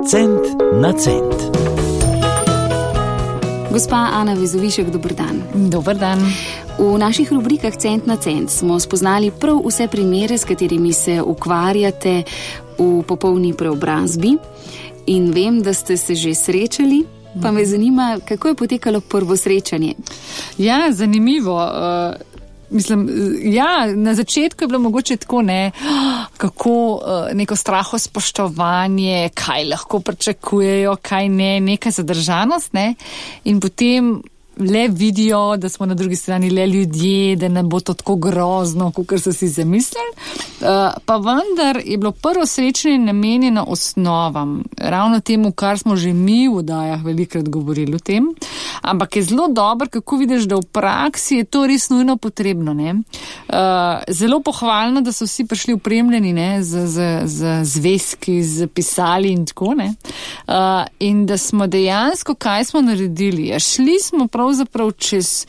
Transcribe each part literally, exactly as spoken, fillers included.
Cent na cent. Gospa Ana Vezovišek, dober dan. Dober dan. V naših rubrikah Cent na cent smo spoznali prav vse primere, s katerimi se ukvarjate v popolni preobrazbi. In vem, da ste se že srečali, pa me zanima, kako je potekalo prvo srečanje. Ja, zanimivo. Uh... Mislim, ja, na začetku je bilo mogoče tako, ne, kako neko straho spoštovanje, kaj lahko pričakujejo, kaj ne, neka zadržanost, ne, in potem le vidijo, da smo na drugi strani le ljudje, da ne bo to tako grozno, kakor so si zamislili. Uh, pa vendar je bilo prvo srečanje namenjeno osnovam, ravno temu, kar smo že mi v oddajah velikrat govorili o tem, ampak je zelo dobro, kako vidiš, da v praksi je to res nujno potrebno. Ne? Uh, zelo pohvalno, da so vsi prišli opremljeni, ne, z, z, z zvezki, z pisali in tako, ne. Uh, in da smo dejansko, kaj smo naredili? Ja, šli smo pravzaprav čez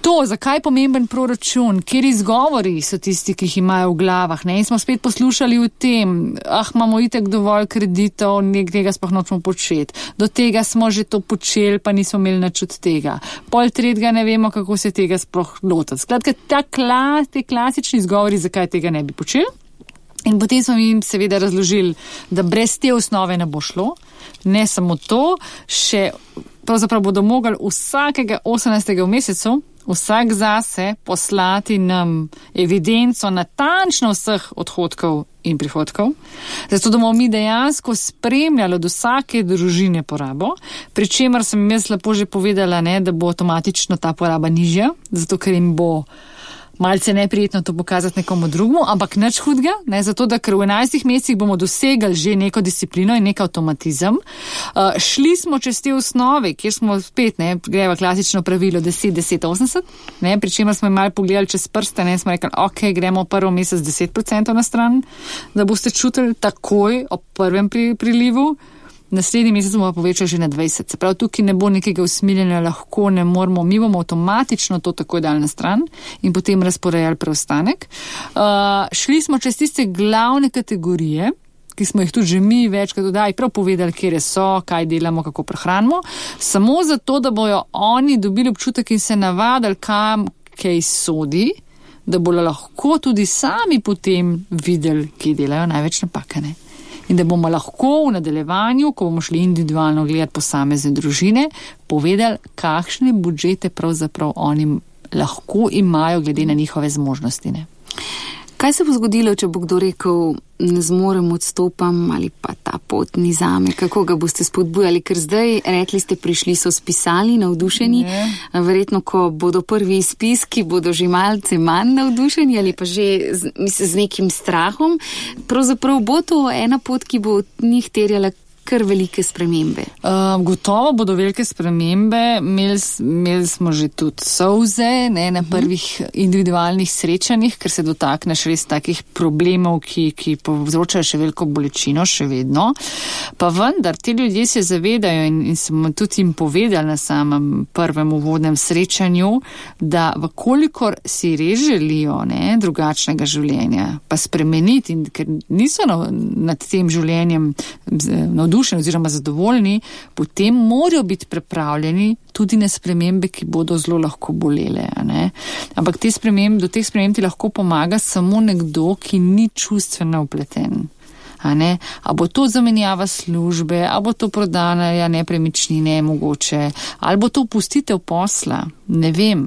to, zakaj je pomemben proračun, kjer izgovori so tisti, ki jih imajo v glavah, ne, in smo spet poslušali o tem, ah, imamo itak dovolj kreditov, nekega sploh nočemo početi, do tega smo že to počeli, pa nismo imeli nič od tega, pol tretjega ne vemo, kako se tega sploh lotiti. Skratka, ta klas, te klasični izgovori, zakaj tega ne bi počeli. In potem smo jim seveda razložili, da brez te osnove ne bo šlo, ne samo to, še pravzaprav bodo mogli vsakega osemnajstega v mesecu, vsak zase poslati nam evidenco natančno vseh odhodkov in prihodkov, zato da bomo mi dejansko spremljali od vsake družine porabo, pri čemer sem jaz lepo že povedala, ne, da bo avtomatično ta poraba nižja, zato ker jim bo malce neprijetno to pokazati nekomu drugemu, ampak nič hudega, ne, zato da ker v enajstih mesecih bomo dosegali že neko disciplino in nek avtomatizem. Uh, šli smo čez te osnove, kjer smo spet, ne, greva klasično pravilo deset, deset, osemdeset, ne, pri čemer smo malo pogledali čez prste, ne, smo rekli, ok, gremo prvo mesec deset procentov na stran, da boste čutili takoj ob prvem pri, prilivu, naslednji mesec bomo povečali že na dvajset. Se pravi, tukaj ne bo nekega usmiljenja, lahko ne moramo, mi bomo avtomatično to takoj dali na stran in potem razporejali preostanek. Uh, šli smo čez tiste glavne kategorije, ki smo jih tudi že mi večkrat dodali, prav povedali, kje so, kaj delamo, kako prehranimo, samo zato, da bojo oni dobili občutek in se navadili, kam kaj sodi, da bodo lahko tudi sami potem videli, kje delajo največ napakane. In da bomo lahko v nadaljevanju, ko bomo šli individualno gledati posamezne družine, povedali, kakšne budžete pravzaprav oni lahko imajo glede na njihove zmožnosti. Ne? Kaj se bo zgodilo, če bo kdo rekel, ne zmorem, odstopam ali pa ta pot ni zame? Kako ga boste spodbujali? Ker zdaj, rekli ste, prišli so spisali, navdušeni. Ne. Verjetno, ko bodo prvi izpiski, bodo že malce manj navdušeni ali pa že z, mislim, z nekim strahom. Pravzaprav bo to ena pot, ki bo od njih terjala kar velike spremembe. Uh, gotovo bodo velike spremembe. Imeli, imeli smo že tudi solze, ne, na prvih individualnih srečanjih, ker se dotakneš res takih problemov, ki, ki povzročajo še veliko bolečino, še vedno. Pa vendar, ti ljudje se zavedajo in, in smo tudi jim povedali na samem prvem uvodnem srečanju, da vkolikor si res želijo, ne, drugačnega življenja, pa spremeniti, in ker niso na, nad tem življenjem navdušeni oziroma zadovoljni, potem morajo biti pripravljeni tudi na spremembe, ki bodo zelo lahko bolele. Ne? Ampak te spremembe, do teh sprememb ti lahko pomaga samo nekdo, ki ni čustveno vpleten. A, ne? A bo to zamenjava službe, a bo to prodana nepremičnine mogoče, ali bo to opustitev posla, ne vem.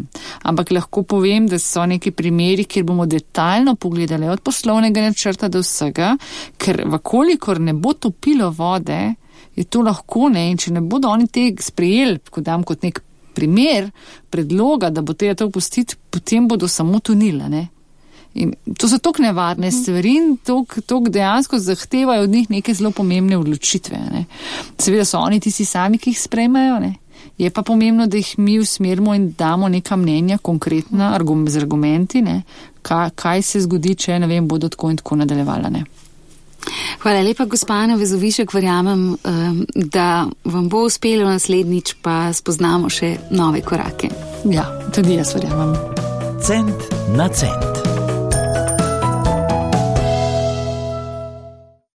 Ampak lahko povem, da so neki primeri, kjer bomo detaljno pogledali od poslovnega načrta do vsega, ker vkolikor ne bo topilo vode, je to lahko, ne, in če ne bodo oni te sprejeli, ko dam kot nek primer predloga, da bo treba to opustiti, potem bodo samo tunila, ne. In to so toliko nevarne stvari in toliko dejansko zahtevajo od njih neke zelo pomembne odločitve. Ne. Seveda so oni tisti sami, ki jih sprejmejo, ne. Je pa pomembno, da jih mi usmerimo in damo neka mnenja, konkretna, z argumenti, ne. Kaj, kaj se zgodi, če, ne vem, bodo tako in tako nadaljevala, ne. Hvala lepa, gospa Ana Vezovišek, verjamem, da vam bo uspelo naslednjič, pa spoznamo še nove korake. Ja, tudi jaz verjamem. Cent na cent.